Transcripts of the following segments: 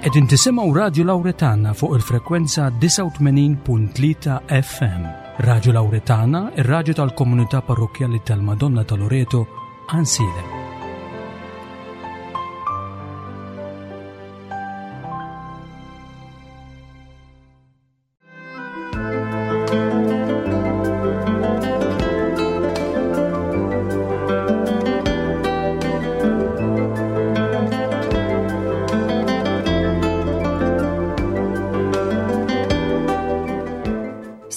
Qegħdin tisimgħu Radju Lawretana fuq il-frekwenza 89.3 FM. Radju Lawretana, ir-radju tal-komunità parrokkjali tal-Madonna ta' Loreto, Ansiedem.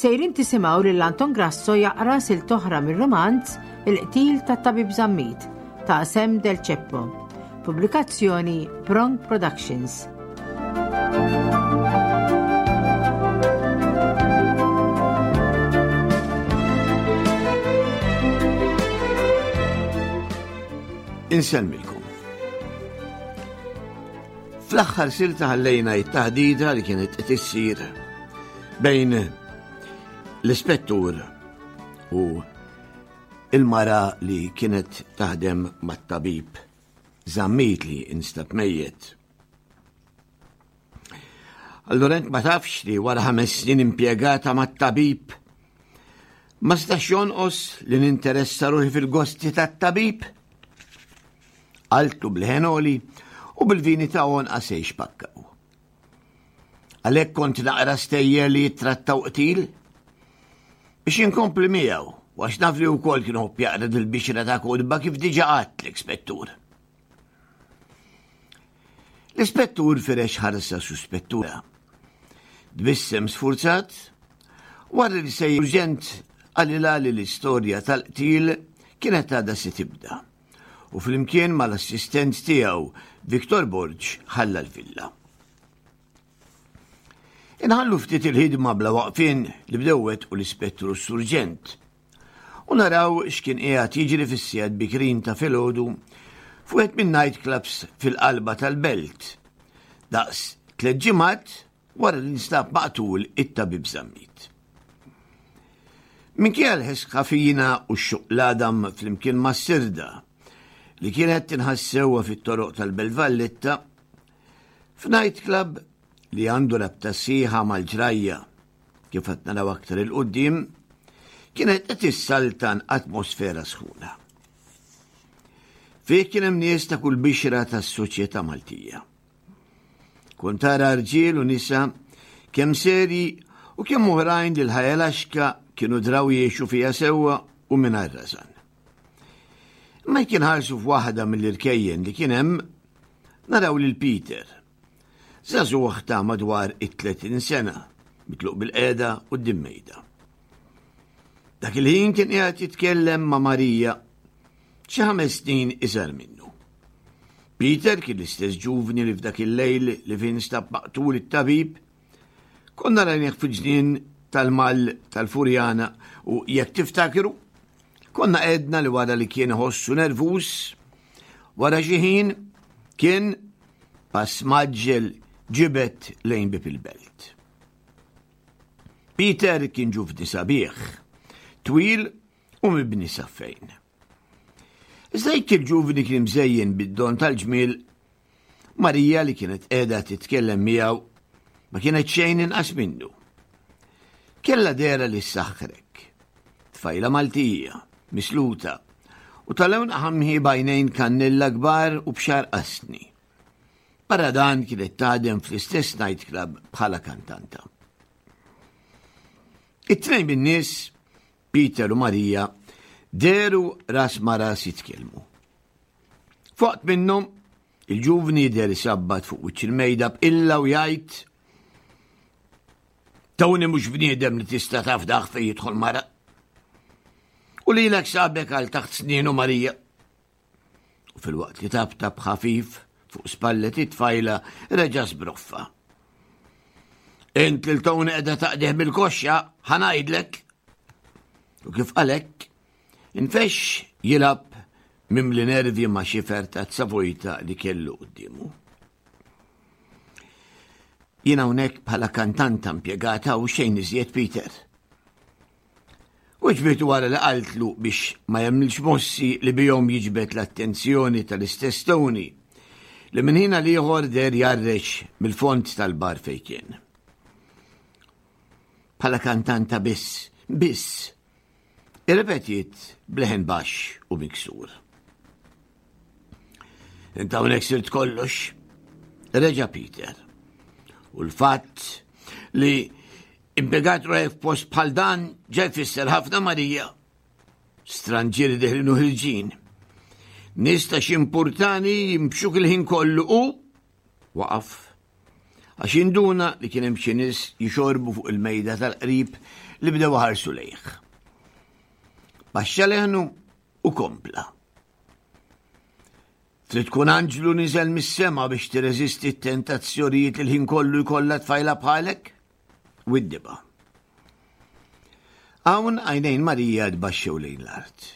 Sejrin tisimgħu lil Anton Grasso jaqra silt oħra mir-romanz Il-qtil tat-Tabib Zammit ta' Sam Del Ceppo. Pubblikazzjoni Prong Productions. Insellmilkom. Fl-aħħar silta ħallejna it-taħdita li kienet qed issir bejn l-ispettur u il-mara li kienet taħdem mat-tabib Zammit li instab mejjet. Allura int ma tafx li wara ħames snin impjegata mat-tabib ma stax jonqos li ninteressa ruħi fil-gosti tat-tabib? Qaltlu bl-ħenoli u bil-vini ta' għonqa se jxpakkaw. Għalhekk kont naqra stejjer li jittrattaw qtil biex inkompli miegħu u għax naf li wkoll kien ħobb jaqra dil-bixra ta' kotba kif diġà għadt spettur. L-ispettur firex ħarsa suspettura. Tbissem sfurzat, wara li se urġent qalilha li l-istorja tal-qtil kienet għadha se tibda u flimkien mal-assistent tiegħu Victor Borg ħalla l-villa. Inħallu ftit il-ħidma bla waqfien li bdewet u l-ispettru s-surġent u naraw x'kien qiegħed jiġri fis-sigħat bikrin ta' filgħodu f'wieħed minn night clubs fil-qalba tal-belt. Daqs tliet ġimgħat wara li nstab maqtul it-tabib Zammit. Minkejja l-ħess ħafina u x-xuq l-għadam flimkien mas-sirda li kienet tinħass sewwa fit-toroq tal-Belt Valletta, f'night club li għandu rabta sħiħa mal-ġrajja kif qed naraw aktar 'il quddiem, kienet qed issaltan atmosfera sħuna. Fih kien hemm nies ta' kull bixra tas-soċjetà Maltija. Kont tara rġiel u nisa kemm seri u kemm oħrajn li l-ħajja laxka kienu draw jgħixu fiha sewwa u mingħajr rażan. Imma jekk inħarsu f'waħda mill-irkejjen li kien hemm, naraw lil Peter, Żagħżugħ ta' madwar it-30 sena, mitluq bil-qiegħda quddiem mejda. Dak il-ħin kien qiegħed jitkellem ma' Marija, xi ħames snin iżgħar minnu. Peter kien l-istess ġuvni li f'dak il-lejl li fin stab maqtul it-tabib, konna rajnieh fil-ġnien tal-mal tal-Furjana u jekk tiftakru, konna għedna li wara li kien iħossu nervuż, wara xi ħin kien Pass mgħaġġel ġibed lejn bieb il-belt. Peter kien ġuvni sabiħ, twil u mibni saffejn. Iżda jekk il-ġuvni kien mżejjen bid-don tal-ġmiel, Marija li kienet qiegħda titkellem miegħu ma kienet xejn inqas minnu. Kella dera li ssaħħrek. Tfajla Maltija, misluta, u ta' lewn ħamħi b'għajnejn kannella kbar u b'xagħar qasni. Barra dan kienet taħdem fl-istess nightclub bħala kantanta. It-tnejn min-nies, Peter u Marija, dehru ras ma' ras jitkellmu. F'waqt minnhom, il-ġuvni jidher isabbat fuq wiċċ il-mejda b'qilla u jgħid Tony mhux bniedem li tista' tafdaħ fejn jidħol mara. U lilek sabek għal taħt snienu Marija. U fil-waqt li tabtab ħafif fuq spallet it-tfajla reġa' sbroffa. Int lil Tony qiegħda taqdih bil-koxxa, ħanajdlek. U kif qalek, infexx jilgħab mimli nervi ma' xifer ta' vojta li kellu quddiemu. Jien hawnhekk bħala kantanta impjegata u xejn iżjed Peter. U ġbitu wara li qaltlu biex ma jagħmilx mossi li bihom jiġbed l-attenzjoni tal-istess Tony. li minn ħin għal ieħor deher jgħarrex mill-fond tal-bar fejn kien. Bħala kantanta biss, biss, irrepetiet bleħen baxx u miksur. Inta hawnhekk sirt kollox, reġa' Peter. U l-fatt li impjegat ruħek f'post bħal dan ġa jfisser ħafna Marija. Stranġieri deħlin u ħirġin. Nies ta' xi jimxuk il-ħin kollu u waqaf. Għax induna li kien hemm xi nies jixorbu fuq il-mejda tal-qrib li bdew ħarsu lejh. Baxxa leħnu u kompla. Trid tkun anġlu niżel mis-sema biex tirreżisti t-tentazzjonijiet li l-ħin kollu jkollha tfajla bħalek? Widdiba. Hawn għajnejn Marija tbaxxew lejn l-art.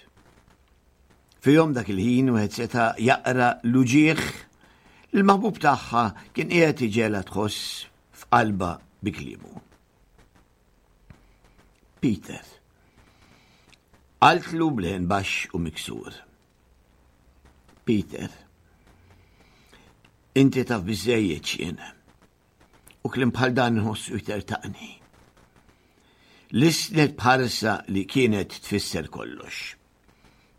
Fihom dak il-ħin wieħed seta' jaqra l-uġieħ li l-maħbub tagħha kien qiegħed iġela tħoss f'qalba bi kliemu. Peter. Qaltlu b'leħen baxx u miksur. Peter. Inti taf biżejjed x'jien. U kliem bħal dan nħossu jtertaqni. Lisnet bħarsa li kienet tfisser kollox.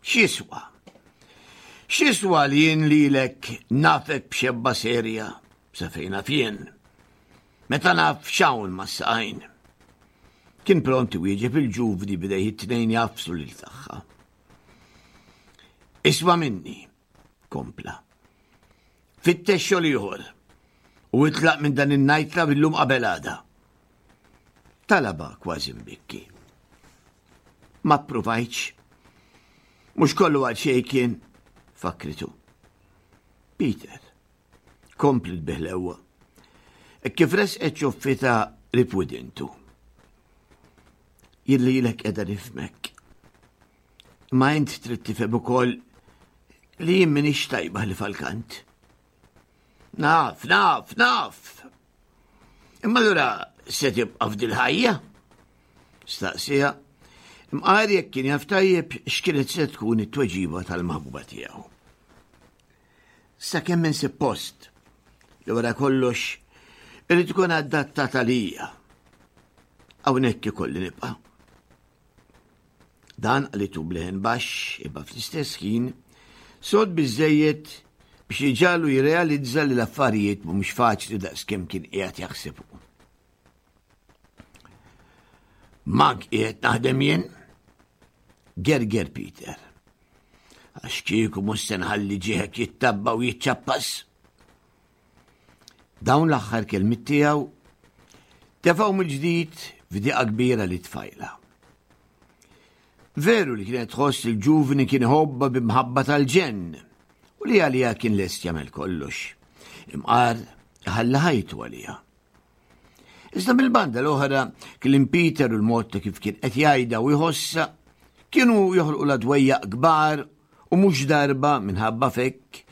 X'jiswa? X'jiswa li jien lilek nafek b'xebba serja sa fejn naf jien? Meta naf x'hawn mas-saqajn. Kien pront iwieġeb il-ġuvni bidejh it-tnejn jafsu lil tagħha. Isma' minni, kompla. Fittex xogħol ieħor u itlaq minn dan in-nightclub illum qabel għada. Talaba kważi mbikki. Ma ppruvajtx. Mhux kollu għal xejn kien, fakritu. Peter, kompli l-biħlewwa. E kif resqet ċoffita ripwidintu. Jilli lek edha nifmek. Ma int trid tifhem ukoll li jien m'iniex tajba li falkant. Naf, naf, naf. Imma allura se tibqa' f'dil ħajja? Staqsija. Imqar jekk kien jaf tajjeb x'kienet se tkun it-tweġiba tal-maħbuba tiegħu. Sakemm insib post li wara kollox irid ikun adattat għalija. Hawnhekk ikolli nibqa'. Dan qalitu b'leħen baxx imma fl-istess ħin sod biżżejjed biex iġagħlu jirrealizza li l-affarijiet mhumiex faċli daqskemm kien qiegħed jaħseb hu. Mank qiegħed naħdem jien? Gerger Peter. Għax kieku mhux se nħalli ġieħek jittabba u jiċċappas. Dawn l-aħħar kelmiet tiegħu tefgħu mill-ġdid f'diqa kbira li tfajla. Veru li kienet tħoss il-ġuvni kien iħobba b'imħabba tal-ġenn u li għalija kien lest jagħmel kollox. Imqar ħalla ħajtu għalija. Iżda mill-banda l-oħra, kliem Peter u l-mod ta' kif kien qed jgħidha u jħossha kienu joħolqu la dwejjaq kbar u mhux darba minħabba fekk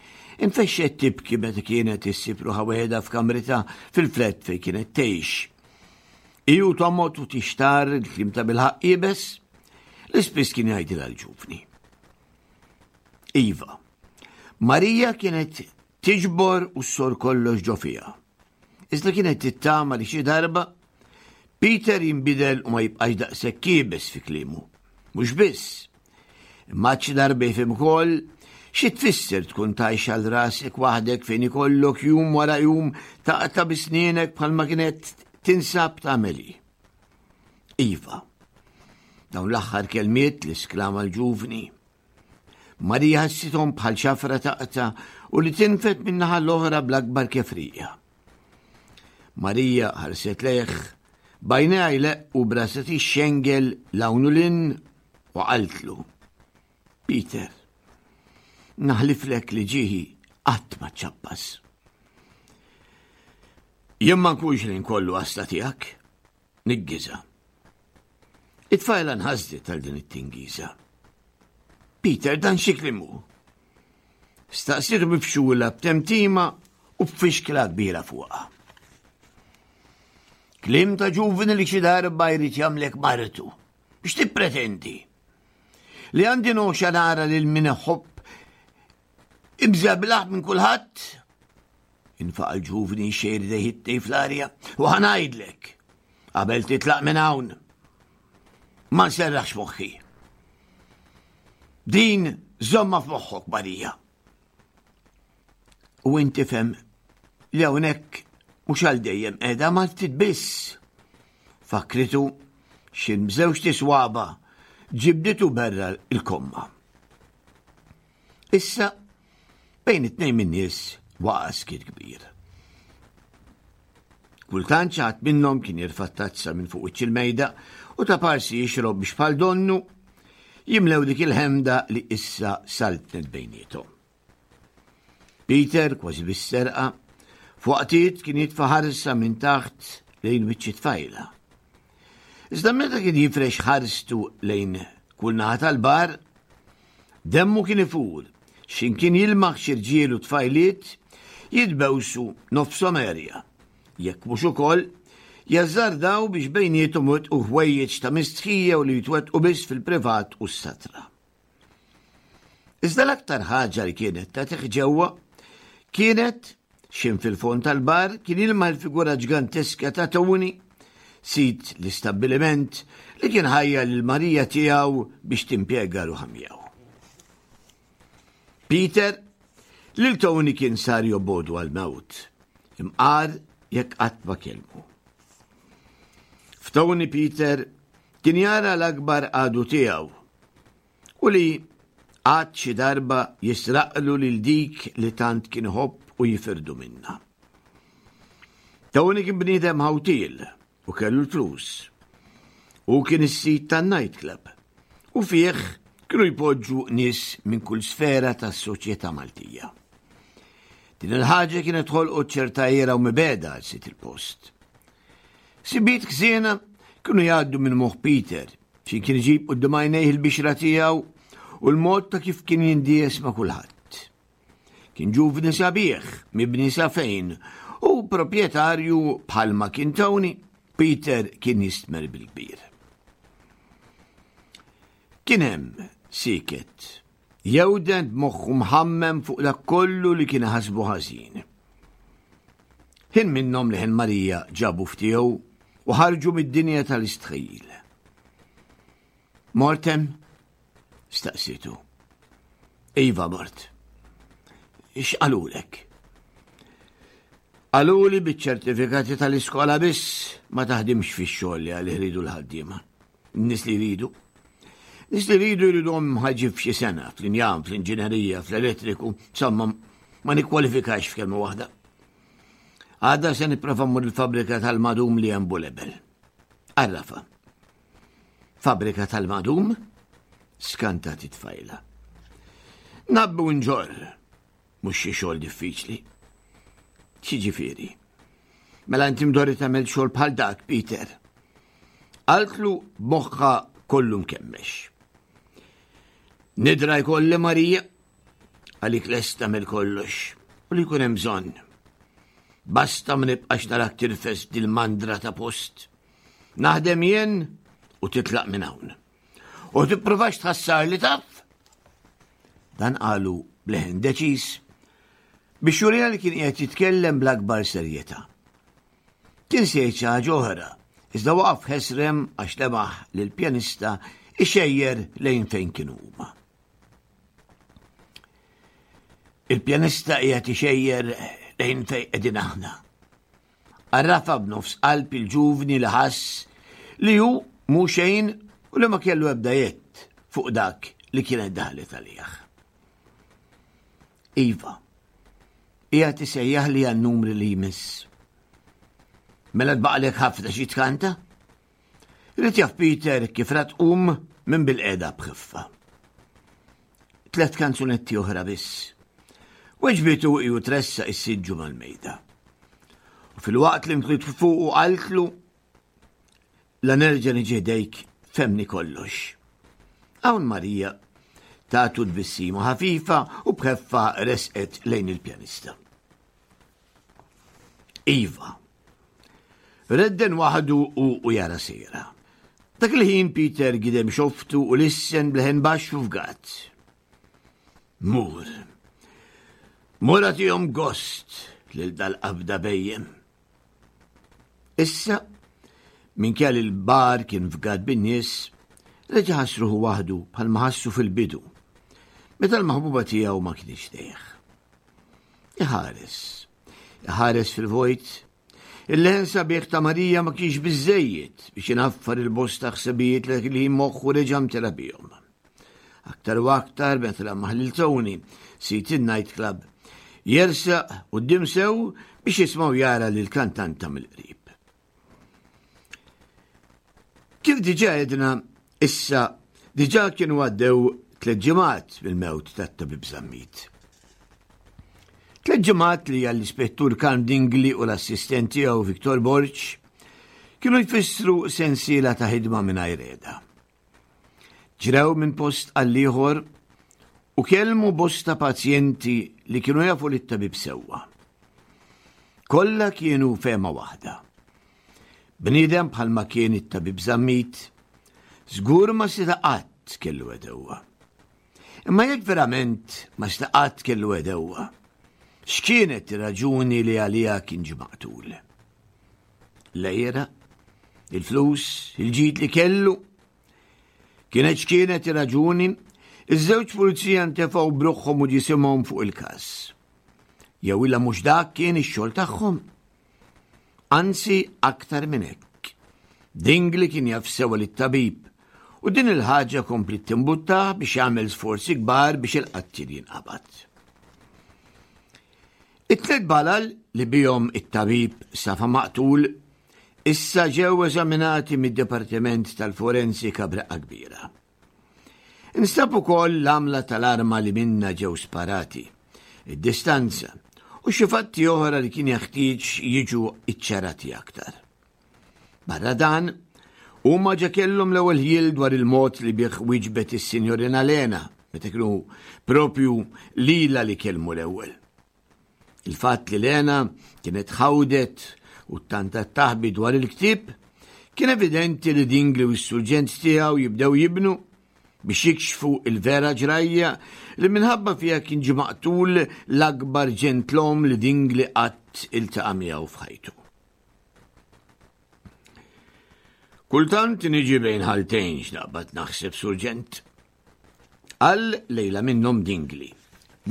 infexxet tibki meta kienet issib ruħha weħedha f'kamritha fil-flett fejn kienet tgħix. Iju tomot u tixtar il-klim ta' bilħaq iebes li spiss kien jgħidilha l-ġuvni. Iva, Marija kienet tiġbor u ssor kollox ġo fiha. Iżda kienet tittama li xi darba Peter jinbidel u ma jibqax daqshekk iebes fi kliemu. Mhux biss, imma xi darba jifhem ukoll xi tfisser tkun tgħix għal rasek waħdek fejn ikollok jum wara jum taqta' bi snienek bħalma kienet tinsab tagħmel hi. Iva, dawn l-aħħar kelmiet li sklama l-ġuvni Marija ħassithom bħal xafra taqta' u li tinfed min-naħa l-oħra bl-akbar kefrija. Marija ħarset lejh, bajnejha jleqqu brasa tixxengel l-hawn u lin u qaltlu. Peter, naħliflek li ġieħi qatt ma ċappas. Jien ma nkunx li nkollu għasta tiegħek, niggiża. It-tfajla nħasdet għal din it-tingiża. Peter, dan xi kliem hu? Staqsietu mifxula b'temtima u b'fixkla kbira fuqha. Kliem ta' ġuvni li xi darba jrid jagħmlek martu. Biex tippretendi? Li għandi noxa nara lil min iħobb imżeblaħ minn kulħadd? Infaqa' l-ġuvni jxejjer idejh it-tnejn fl-arja u ħa ngħidlek, qabel titlaq minn hawn, ma nserraħx moħħi. Din żomma f'moħħok, Marija. U inti fhem li hawnhekk mhux għal dejjem qiegħda ma ftit biss. Fakritu x'in b'żewġ tiswaba ġibditu berra l-komma. Issa bejn it-tnejn min-nies waqa' skiet kbir. Kultant xi ħadd minnhom kien jirfa' tazza minn fuq wiċċ il-mejda u ta' parsi jixrob biex bħal donnu jimlew dik il-ħemda li issa saltnet bejniethom. Peter, kważi bis-serqa, f'waqtiet kien jitfa' ħarsa minn taħt lejn wiċċ it-tfajla. Iżda meta kien jifrex ħarstu lejn kull naħa tal-bar, demmu kien ifur, x'imkien jilmaħ xi rġiel u tfajliet jitbewsu nofshom għerja, jekk mhux ukoll jażżardaw biex bejniethom iwettqu ħwejjeġ ta' mistħija u li jitwettqu biss fil-privat u s-satra. Iżda l-aktar ħaġa li kienet tagħtih ġewwa kienet x'in fil-fond tal-bar kien ilma l-figura ġganteska ta' Tony, sid l-istabbiliment li kien ħajja lil Marija tiegħu biex timpjega ruħha miegħu. Peter lil Tony kien sar jobogħdu għall-mewt, imqar jekk qatt ma kellmu. F'Tony Peter kien jara l-akbar għadu tiegħu u li għad xi darba jisraqlu lil dik li tant kien iħobb u jifirdu minnha. Tony kien bniedem ħawtiel u kellu l-flus. Hu kien is-sid tan-nightclub u fih kienu jpoġġu nies minn kull sfera tas-soċjetà Maltija. Din il-ħaġa kienet ħolqot ċerta għira u mibegħda għal sid il-post. Sibiet ħżiena kienu jgħaddu minn moħħ Peter Xi kien iġib quddiem għajnejh il-bixra tiegħu u l-mod ta' kif kien jindies ma' kulħadd. Kien ġuvni sabiħ, mibni sa fejn, u proprjetarju bħalma kien Tony, Peter kien jistmer bil-kbir. Kien hemm siket, jewden b'moħħu mħammem fuq dak kollu li kien ħasbu ħażin. Ħin minnhom li ħin Marija ġabu ftiegħu u ħarġu mid-dinja tal-istħajjil. Mortem? Staqsitu. Iva mort. X'qalulek? Qaluli biċ-ċertifikati tal-iskola biss ma taħdimx fix-xogħol li għalih iridu l-ħaddiema. Nies li jridu. Nies li jridu jridhom ħaġi f'xi sena, fl-injam, fl-inġinerija, fl-elettriku, insomma, ma nikkwalifikax f'kelma waħda. Għada se nipprova mmur il-fabbrika tal-madum li hemm Bulebel. Arrafa. Fabbrika tal-madum? Skantat it-tfajla. Nabbu nġorr. Mhux xi xogħol diffiċli. X'jiġifieri? Mela inti mdorri tagħmel xogħol bħal dak, Peter. Qaltlu b'moħħha kollu mkemmex. Nidra jkolli Marija għalik lest tagħmel kollox u li jkun hemm bżonn. Basta ma nibqax narak tirfes dil-mandra ta' post. Naħdem jien u titlaq minn hawn. U tippruvax tħassar li taf? Dan qalu bleħen deċiż biex jurina li kien qiegħed jitkellem bl-akbar serjetà. Kien se jgħid xi ħaġa oħra, iżda waqaf ħesrem għax lemaħ lill-pjanista ixejjer lejn fejn kienu huma. Il-pjanista qiegħed ixejjer lejn fejn qegħdin aħna. Għarrafha b'nofs qalb il-ġuvni li ħass li hu mhu xejn u li ma kellu ebda jedd fuq dak li kienet daħlet għalih. Iva, qiegħed isejjaħli għan-numri li jmiss. Mela tbaqlek ħafna xi tkanta? Ried jaf Peter kif ra tqum minn bil-qeda b'ħiffa. Tlet kanzunetti oħra biss. Weġbitu ju tressa is-siġġu mal-mejda. U fil-waqt li mtliet fuq u qaltlu la nerġa' niġi ħdejk femni kollox. Hawn Marija tatu tbissima ħafifa u b'ħeffa resqet lejn il-pjanista. Iva. Redden waħdu u, u jara sejra. Dak il-ħin Peter gidem xoftu u lissen bleħen baxx u fgat. Mur. Mur għatihom gost lil dal-qabda bejjem. Issa, minkejja li l-bar kien fgat bin-nies, reġa' ħass ruħu waħdu bħalma ħassu fil-bidu, meta l-maħbuba tiegħu ma kienx dejh. Iħares, iħares fil-vojt, il-leħen sabiħ ta' Marija ma kienx biżejjed biex inaffar il-bosta ħsibijiet li moħħu reġa' mtela bihom. Aktar u aktar meta lamaħ lil Tony, sid in-night club, jersaq quddiem sew biex jisma' u jara lil kantanta mill-qrib. Kif diġà għedna, issa diġà kienu għaddew tliet ġimgħat mill-mewt tat-tabib Zammit. Tliet ġimgħat li għall-ispettur Karm Dingli u l-assistent tiegħu Victor Borg kienu jfissru sensiela ta' ħidma mingħajr qiegħda. Ġrew minn post għall-ieħor u kellmu bosta pazjenti li kienu jafu lit-tabib sewwa. Kollha kienu fehma waħda. Bniedem bħalma kien it-tabib Zammit, żgur ma seta' qatt kellu għedewwa. Imma jekk verament ma seta' qatt kellu għedewwa, x'kienet ir-raġuni li għaliha kien ġie maqtul? L-għira, il-flus, il-ġid li kellu. Kienet x'kienet ir-raġuni, iż-żewġ pulizija ntefgħu bruħhom u ġisimhom fuq il-każ. Jew illa mhux dak kien ix-xogħol tagħhom. Anzi aktar minn hekk. Dingli kien jaf sewa lit-tabib u din il-ħaġa kompli timbutta biex jagħmel sforzi kbar biex il-qattil jinqabad. It-tliet balal li bihom it-tabib safa maqtul issa ġew eżaminati mid-Dipartiment tal-Forensika b'reqqa kbira. Instab ukoll l-għamla tal-arma li minnha ġew sparati, id-distanza u xi fatti oħra li kien jeħtieġ jiġu iċċarati aktar. Barra dan, huma ġa kellhom l-ewwel ħjiel dwar il-mod li bih wieġbet is-Sinjorina Lena meta kienu propju lilha li kellmu l-ewwel. Il-fatt li Lena kienet ħawdet u ttantat taħbi dwar il-ktieb kien evidenti li Dingli u s-surġent tiegħu jibdew jibnu biex jikxfu il-vera ġrajja li minħabba fiha kien ġie maqtul l-akbar ġentlom li Dingli qatt iltaqa' miegħu f'ħajtu. Kultant niġi bejn ħaltejn x'naqbad naħseb surġent. Qal lejla minnhom Dingli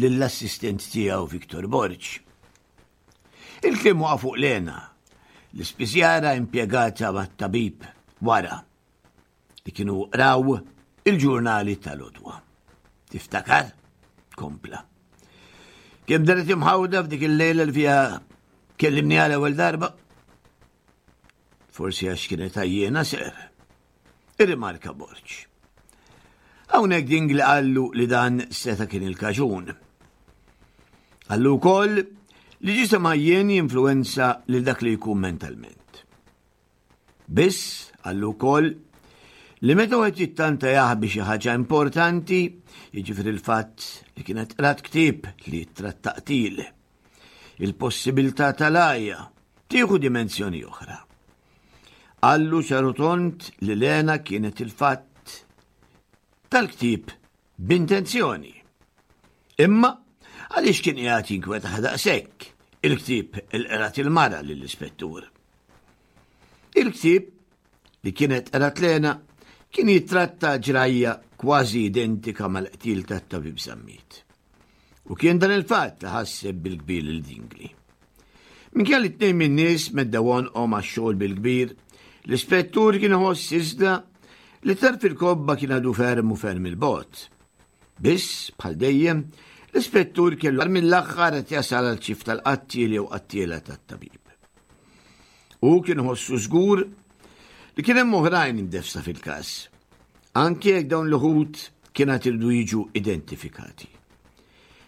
lill-assistent tiegħu Victor Borg. Il-kliem waqa' fuq Lena, l-ispiżjara impjegata mat-tabib wara li kienu qraw il-ġurnali tal-odwa. Tiftakar? Kompla. Kemm daret imħawda f'dik il-lejla li fiha kellimni għal ewwel darba? Forsi għax kienet għajjena ser. Irrimarka Borġ. Hawnhekk Dingli qallu li dan seta' kien il-kaġun. Qallu wkoll li ġisem għajjien jinfluwenza lil dak li jkun mentalment. Biss, qallu wkoll, li meta wieħed jittanta jaħbi xi ħaġa importanti, jiġifieri l-fatt li kienet qrat ktieb li jittratta qtil, il-possibilità tal-għajja tieħu dimensjoni oħra. Qallu ċarutont li Lena kienet il-fatt tal-ktieb B'intenzjoni. Imma għaliex kien qiegħed jinkwetah daqshekk il-ktieb il qrat il-mara lill-ispettur? Il-ktieb li kienet qrat Lena kien jittratta ġrajja kważi identika mal-qtil tat-tabib Zammit. U kien dan il-fatt li ħasseb bil-kbir lil Dingli. Minkejja li tnejn min-nies meddew għonqhom għax-xogħol bil-kbir, l-ispettur kien iħoss iżda li tarf il-kobba kien għadu ferm u ferm il-bogħod. Biss, bħal dejjem, l-ispettur kellu mill-aħħar qed jasal għal ċif tal-qattiel jew qattiela tat-tabib. U kien ħossu żgur li kien hemm oħrajn imdefsa fil-każ, anke jekk dawn l-uħud kien għad iridu jiġu identifikati.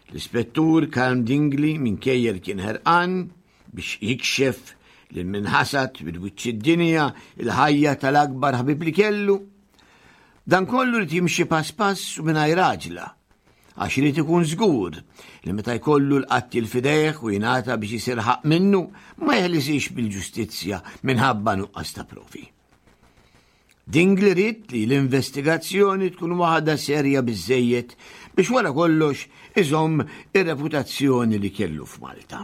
L-Ispettur Karm Dingli minkejja li kien ħerqan biex jikxef lil min ħasad minn wiċċ id-dinja il-ħajja tal-akbar ħabib li kellu, dan kollu rid jimxi pass pass u mingħajr għaġla għax irid ikun żgur li meta jkollu l-qattiel f'idejh u jingħata biex isir ħaqq minnu ma jeħlisix bil-ġustizzja minħabba nuqqas ta' provi. Dingli ried li l-investigazzjoni tkun waħda serja biżżejjed biex wara kollox iżomm ir-reputazzjoni li kellu f'Malta.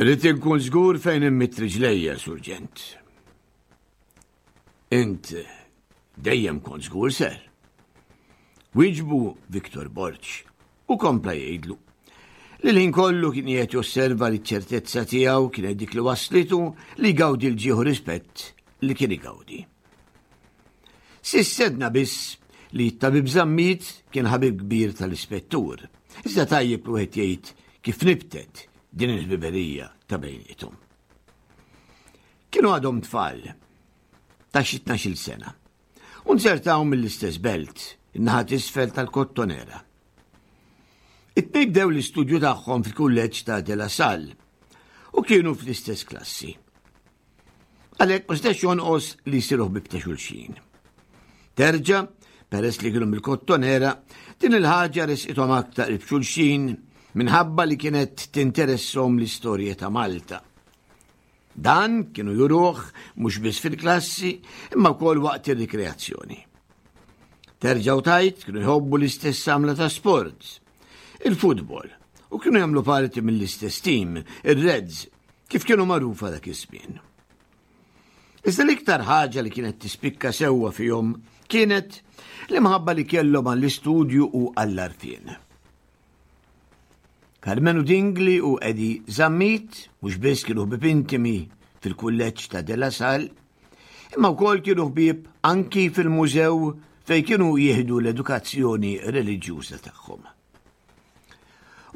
Irrid inkun żgur fejn immitt riġlejja, Surġent. Int dejjem kont żgur ser. Wieġbu Victor Borg u kompla jgħidlu li l-ħin kollu kien qiegħed josserva li ċ-ċertezza tiegħu kienet dik li waslitu li jgawdi l-ġieħu rispett li kien igawdi. S'issa għedna biss li t-tabib Zammit kien ħabib kbir tal-ispettur. Iżda tajjeb li wieħed jgħid kif nibtet din il-ħbiberija ta' bejniethom. Kienu għadhom tfal ta' xi 12-il sena u nzertaw mill-istess belt, in-naħa t'isfel tal-Kottonera. It-tnejn bdew l-istudju tagħhom fil-kulleġġ ta' De La Salle u kienu fl-istess klassi. Għalhekk ma setax jonqos li jsiru ħbieb ta' xulxin. Terġa', peress li kienu mill-Kottonera, din il-ħaġa resqithom aktar qrib xulxin minħabba li kienet tinteresshom l-istorja ta' Malta. Dan kienu juruh mhux biss fil-klassi imma wkoll waqt ir-rikreazzjoni. Terġa' u tajt kienu jħobbu l-istess għamla ta' sport, il-futbol, u kienu jagħmlu parti mill-istess tim, ir-Reds, kif kienu magħrufa dak iż-żmien. Iżda l-iktar ħaġa li kienet tispikka sewwa fihom kienet l-imħabba li kellhom għall-istudju u għall-arfien. Karmenu Dingli u Eddie Zammit mhux biss kienu ħbieb intimi fil-kulleġġ ta' De La Salle, imma wkoll kienu ħbieb anki fil-mużew fejn kienu jieħdu l-edukazzjoni reliġjuża tagħhom.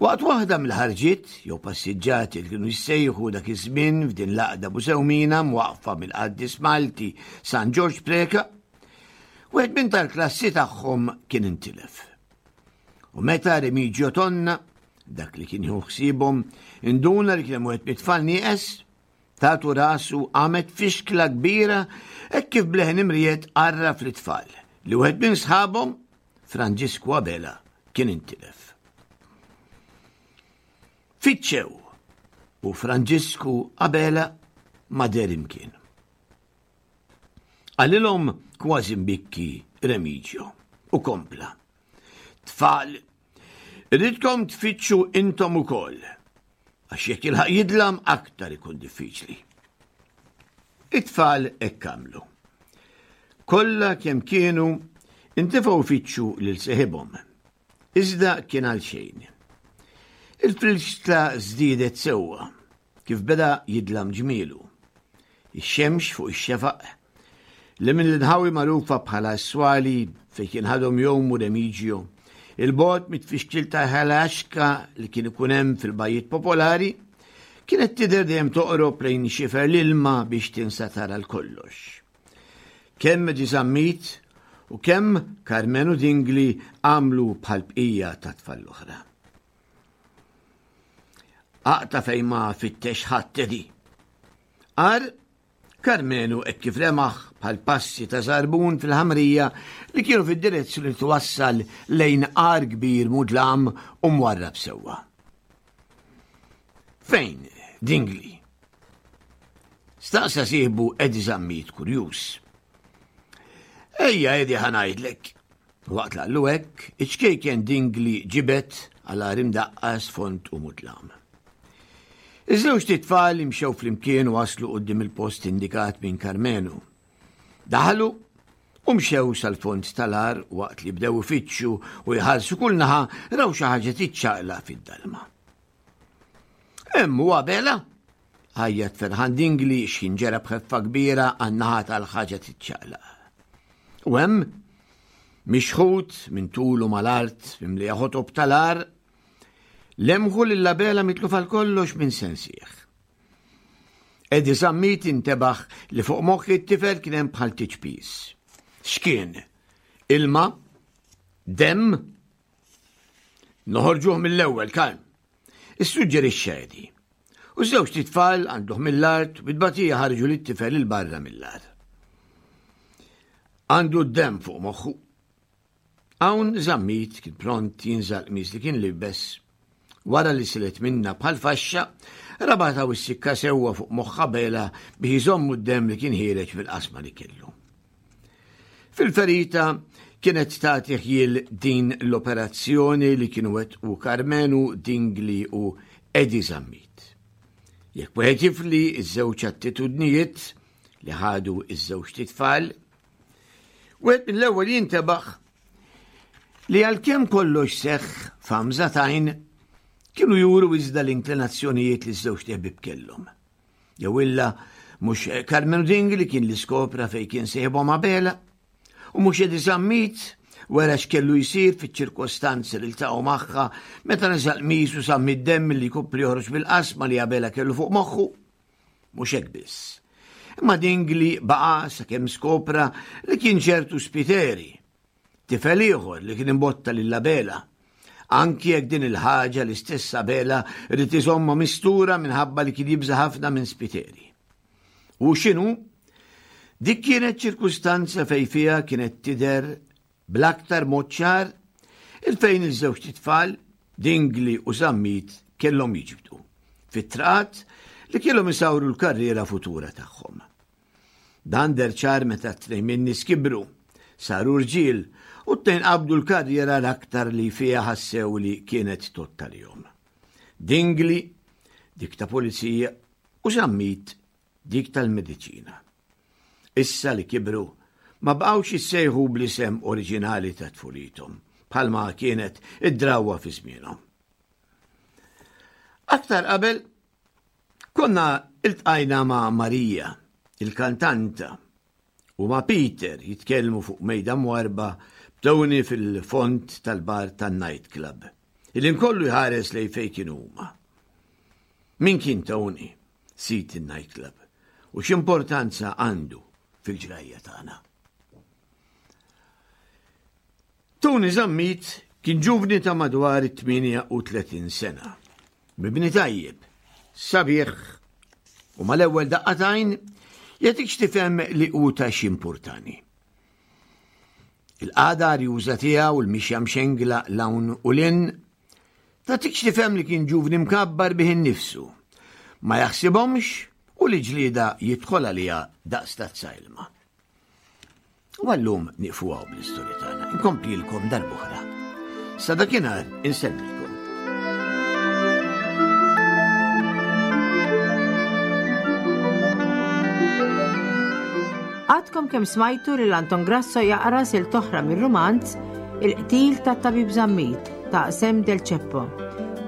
Waqt waħda mill-ħarġiet jew passiġġati li kienu jissejħu dak iż-żmien f'din l-għaqda Busewmina mwaqqfa mill-qaddis Malti San Ġorġ Preca, wieħed minn tal-klassi tagħhom kien intilef. U meta Remigio Tonna, dak li kien jieħu ħsiebhom, induna li kien hemm wieħed mit-tfal nieqes, tatu rasu qamet fixkla kbira hekk kif bleħen imriet għarraf lit-tfal li wieħed minn sħabhom Franġisku Abela kien intilef. Fittxew u Franġisku Abela ma deher imkien. Qalilhom kważi mbikki Remigio u kompla. Tfal, irridkom tfittxu intom ukoll, għax jekk jilħaq jidlam aktar ikun diffiċli. It-tfal hekk għamlu. Kollha kemm kienu intefgħu jfittxu lil seħibhom. Iżda kien għal xejn. Il-frilxta żdiedet sewwa kif beda jidlam ġmielu. Ix-xemx fuq ix-xefaq li minn l-inħawi magħrufa bħala s-swali fejn kien ħadhom jgħumu Remigio, il-bogħod mit-tfixkil ta' ħalaxka li kien ikun hemm fil-bajjiet popolari, kienet tidher dejjem toqrob lejn xifer l-ilma biex tinsa tara l-kollox. Kemm Eddie Zammit u kemm Karmenu Dingli għamlu bħal bqija ta' tfal l-oħra. Aqta' fejn ma fittex ħadd Eddie. Qar Karmenu hekk kif lemaħ bħal passi ta' żarbun fil-ħamrija li kienu fid-direzzjoni li twassal lejn għar kbir mudlam u mwarrab sewwa. Fejn, Dingli? Staqsa sieħbu Eddie Zammit kurjuż. Ejja Eddie ħa ngħidlek. Waqt li qallu hekk, iċ-ċkejken Dingli ġibed għal għar imdaqqas fond u mudlam. Iż-żewġt itfal imxew flimkien u waslu quddiem il-post indikat minn Karmenu. Daħlu u mxew sal-fond tal-għar waqt li bdew ifittxu u jħarsu kull naħa raw xi ħaġa tiċċaqlaq fid-dalma. Hemm hu Abela! Għajjat ferħan Dingli x'ħin ġera b'ħeffa kbira għan-naħa tal-ħaġa tiċċaqlaq. U hemm, mixħut minn tulu mal-art mimlija ħotob tal-għar, Lemħu lil Abela mitluf għal kollox minn sensih. Eddie Zammit intebaħ li fuq moħħ it-tifel kien hemm bħal tiċpis. X'kien? Ilma? Demm? Noħorġuh mill-ewwel, kalm. Issuġġerixxa Eddie. U żewġ tfal għanduh mill-art u bit-tbatija ħarġu lit-tifel 'il barra mill-art. Għandu d-demm fuq moħħu. Hawn Zammit kien pront jinża' l-qmis li kien liebes. Wara li silet minnha bħal faxxa, rabatha u ssikka sewwa fuq moħħ Abela biex iżommu d-demm li kien ħiereġ mill-qasma li kellu. Fil-ferita kienet tagħti ħjiel din l-operazzjoni li kienu wettqu Karmenu, Dingli u Eddie Zammit. Jekk wieħed jifli ż-żewġ attitudnijiet li ħadu ż-żewġ titfal, wieħed mill-ewwel jintebaħ li għalkemm kollox seħħ f'għamża t'għajn, kienu juru iżda l-inklinazzjonijiet li ż-żewġ teħbib kellhom. Jew illa mhux Carmenu Dingli kien li skopra fejn kien sieħbhom Abela, u mhux Eddie Zammit wera x'kellu jsir fiċ-ċirkostanzi li ltaqgħu magħha meta neża' l-qmis u sammi d-demm li jkompli joħroġ mill-qasma li Abela kellu fuq moħħu. Mhux hekk biss. Imma Dingli baqa' sakemm skopra li kien ċertu Spiteri, tifel ieħor li kien imbotta lil Abela. Anki jekk din il-ħaġa l-istess Abela ried iżommha mistura minħabba li kien jibża' ħafna minn Spiteri. U x'inhu? Dik kienet ċirkustanza fejn fiha kienet tidher bl-aktar mod ċar il-fejn iż-żewġt itfal, Dingli u Zammit, kellhom jiġbdu fit-traqat li kellhom isawru l-karriera futura tagħhom. Dan deher ċar meta t-tnejn min-nies kibru, saru rġiel u t-tnejn qabdu l-karriera l-aktar li fiha ħassew li kienet tgħodd għalihom. Dingli, dik ta' pulizija, u Zammit, dik tal-mediċina. Issa li kibru, ma baqgħux jissejħu bl-isem oriġinali ta' tfulithom, bħalma kienet id-drawwa fi żmienhom. Aktar qabel, konna iltqajna ma' Marija, il-kantanta, u ma' Peter jitkellmu fuq mejda mwarrba b'Tony fil-fond tal-bar tan-night club. Il-ħin kollu jħares lejn fejn kienu huma. Min kien Tony, sid in-night club, u x'importanza għandu fil-ġrajja tagħna? Tony Zammit kien ġuvni ta' madwar it-38 sena. Mibni tajjeb, sabiħ u mal-ewwel daqqa t'għajn jagħtik tifhem li hu ta' x'importani. Il-qagħda arjuża tiegħu u l-mixja mxengla 'l hawn u 'l hinn tagħtik x'tifhem li kien ġuvni mkabbar bih innifsu, ma jaħsibhomx u li ġlieda jidħol għaliha daqs tazza ilma. U għallum nieqfu hawn bl-istorja tagħna. Inkomplilkom darb'oħra. Sa dakinhar insellmilkom. Għadkom kemm smajtu lil Anton Grasso jaqra sil toħra mir-rumanz Il-qtil tat-tabib Zammit ta' Sem Del Ceppo.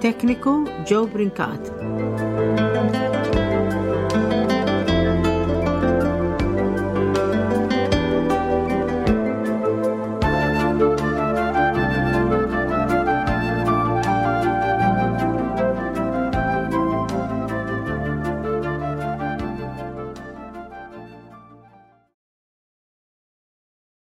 Tekniku Joe Brincat.